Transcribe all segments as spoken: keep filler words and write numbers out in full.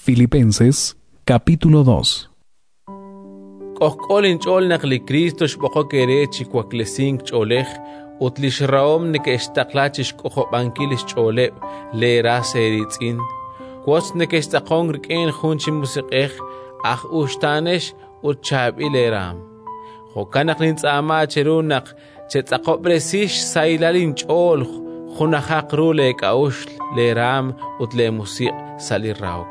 Filipenses capítulo dos. K'ojk'o linch'ool naq li Kristo xb'oqok eere chi waklesink ch'oolej ut li xrahom neke'xtaqla chi xk'ojob'ankil xch'ooleb' leeras eeriitz'in. Wotz nekextz'aqonk rik'in jun chi Musiq'ej, aj uxtaanex ut chaab'il eeraanm. Jo'kan naq nintz'aama cheru naq chetz'aqob'resi xsahilal inch'ool, junajaq ru leek'a'uxl, leeraanm ut leemusiq' sa' li rahok.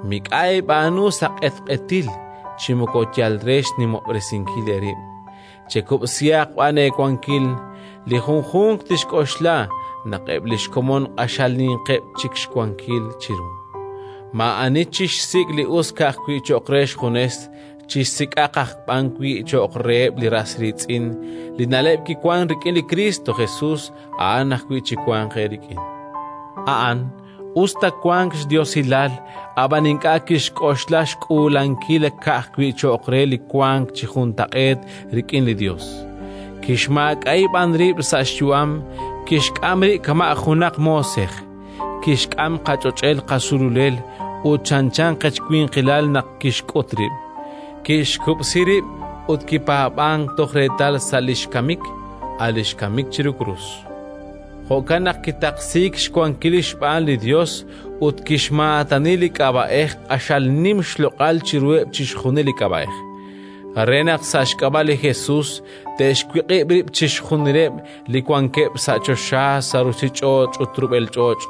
Mik'a' eeb'aanu sa' q'etq'etil chi moko yal re xnimob'resinkil eerib'. Chekub'sihaq b'an eewankil, li junjunq tixk'oxla naq eb' li xkomon q'axal ninqeb' chik xwankil chiru. Maa'ani chixsik' li us ka'ajwi' cho'q re xjunes, chixsik'aq aj b'an wi' cho'q reheb' li ras riitz'in. Li na'leb' kiwank rik'in li Kristo Jesus a'an ajwi' chiwanq eerik'in. A'an, us ta wank xdiosilal, ab'an ink'a' kixk'oxla xk'uulankil ka'ajwi' cho'q re li wank chi juntaq'eet rik'in li Yos. Kixmaak'a'i b'an rib' sa' xyu'am, kixk'am rib' kama' junaq moosej, kixk'am qach'och'el qasululel ut chanchan qechwinqilal naq kixk'ut rib'. Kixkub'si rib' ut kipaab'ank toj reetal sa' li xkamik, a' li xkamik chiru krus. Jo'kan naq kitaqsiik xwankil xb'aan li Yos ut kixmaatani li k'ab'a'ej q'axal nim xloq'al chiruheb' chixjunil li k'ab'a'ej, re naq sa' xk'ab'a' li Jesus te'xwiq'ib' rib' chixjunileb' li wankeb' sa' choxa, sa' ruuchich'och' ut rub'el ch'och',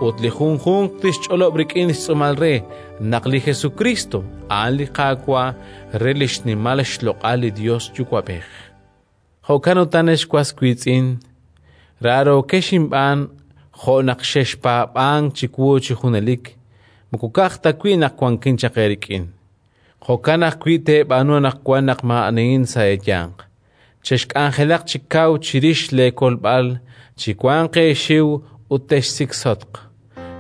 ut li junjunq tixch'olob' rik'in xtz'uumal re naq li Jesukristo a'an li Qaawa' re li xnimal xloq'al li Yos Yuwa'b'ej. Jo'kan utan, ex was wiitz'in, raarookex inb'aan jo' naq xexpaab'ank chiwu chi junelik, moko ka'aj ta wi' naq wankin chaq eerik'in. Jo'kan ajwi' teeb'aanu anaqwan naq maa'anihin sa' eeyanq. Chexk'anjelaq chi kaw chirix leekolb'al, chiwanq eexiw ut texsiksotq,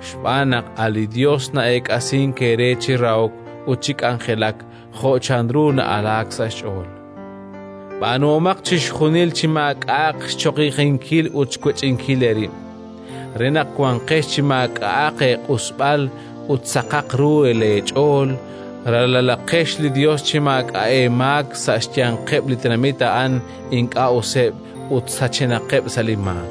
xb'aan naq a' li Yos na'eek'asink eere chi rahok ut chi k'anjelak jo' chanru na'alaak sa' xch'ool. B'aanuhomaq chixjunil chi maak'a'aq xchoqijinkil ut xwech'inkil eerib', re naq wanqex chi maak'a'aq eeq'usb'al ut saqaq ru leech'ool, ralalaqex li Yos chi maak'a' eemaak sa' xyanqeb' li tenamit a'an ink'a' useb' ut sachenaqeb' sa' li maak.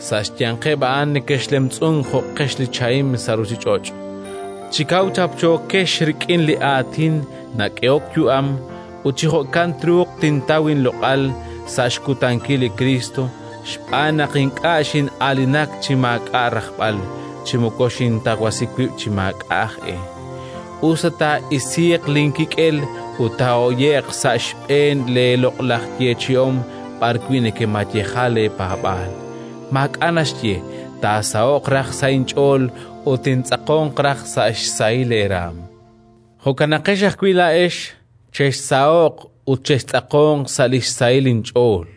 Sa' xyanqeb' a'an nekexlemtz'unk jo'qex li chahim sa' ruuchich'och'. Chi kaw chapchookex rik'in li aatin nak'ehok yu'am, ut chi jo'kan truuq tintaw inloq'al sa' xkutankil li Kristo, xb'aan naq ink'a' xin'aalinak chi maak'a' rajb'al, chi moko xintawasi wib' chi maak'a' aj e. Us ta taa'isiiq linkik'el ut taahoye'q sa' xb'een leeloq'laj yeechi'om b'arwi' nekemayeja leepaab'aal. Maak'a' naxye, taasaho'q raj sa' inch'ool ut tintz'aqonq raj sa' xsahil eeraam. Jo'kanaqex ajwi' laa'ex, chexsaho'q ut chextz'aqonq sa' li xsahil inch'ool.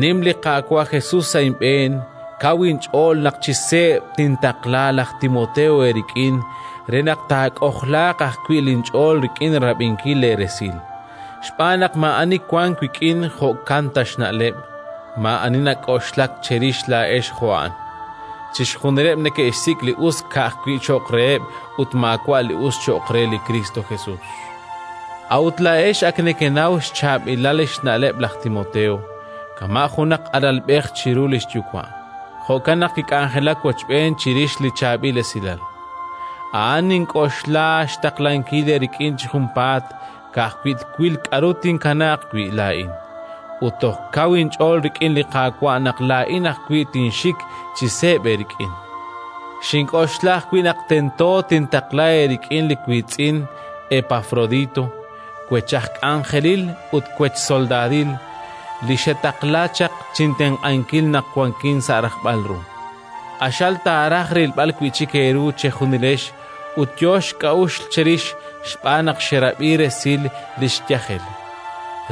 Nim li Qaawa' Jesus sa' inb'een, kaw inch'ool naq chi seeb' tintaqla laj Timoteo eerik'in re naq taak'ojlaaq ajwi' linch'ool rik'in rab'inkil leeresil. Xb'aan naq maa'ani wank wik'in jo'kan ta xna'leb', maa'ani nak'oxlak cherix laa'ex jo' a'an. Chixjunileb' neke'xsik' li us ka'ajwi' cho'q reheb' ut maawa' li us cho'q re li Kristo Jesus. A'ut laa'ex ak nekenaw xchaab'ilal xna'leb' laj Timoteo, kama' junaq alalb'ej chiru li xyuwa'. Jo'kan naq kik'anjelak wochb'een chirix li chaab'il esilal. A'an nink'oxla xtaqlankil eerik'in chi junpaat, ka'ajwi' twil k'aru tinkanaaq wi' laa'in. Ut toj kaw inch'ool rik'in li Qaawa' naq laa'in ajwi' tinxik chi seeb' eerik'in. Xink'oxla ajwi' naq tento tintaqla eerik'in li wiitz'in Epafrodito, wech aj k'anjelil ut wech soldaadil, li xetaqla chaq chintenq'ankil naq wankin sa' rajb'al ru. Q'axal taaraj rilb'al wi' chik eeru chejunilex ut yo xk'a'uxl cherix xb'aan naq xerab'i resil li xyajel.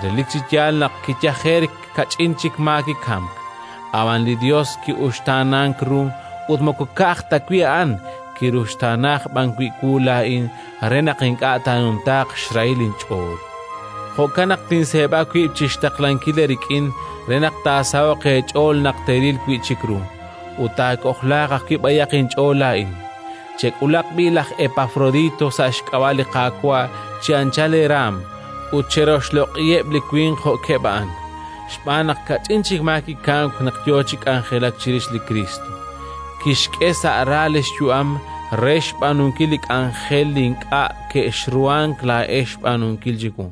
Relik chi yaal naq kiyajerk kach'in chik maa kikamk, ab'an li Yos ki'uxtaanank ru ut moko ka'aj ta wi' a'an, kiruxtaana b'an wi' wu laa'in re naq ink'a' taanumtaaq xrahil inch'ool. Jo'kan naq tinseeb'a wib' chi xtaqlankil eerik'in re naq taasaho'q eech'ool naq teeril wi' chik ru, ut taak'ojlaaq ajwi' b'ayaq inch'ool laa'in. Chek'ulaq b'i' laj Epafrodito sa' xk'ab'a' li Qaawa' chi anchal eeraanm, ut cheroxloq'iheb' li winq jo'keb' a'an, xb'aan naq kach'in chik maa kikamk naq yo chi k'anjelak chirix li Kriist. Kixk'e sa' ra li xyu'am re xb'aanunkil li k'anjel li ink'a' kexruhank laa'ex xb'aanunkil chiwu.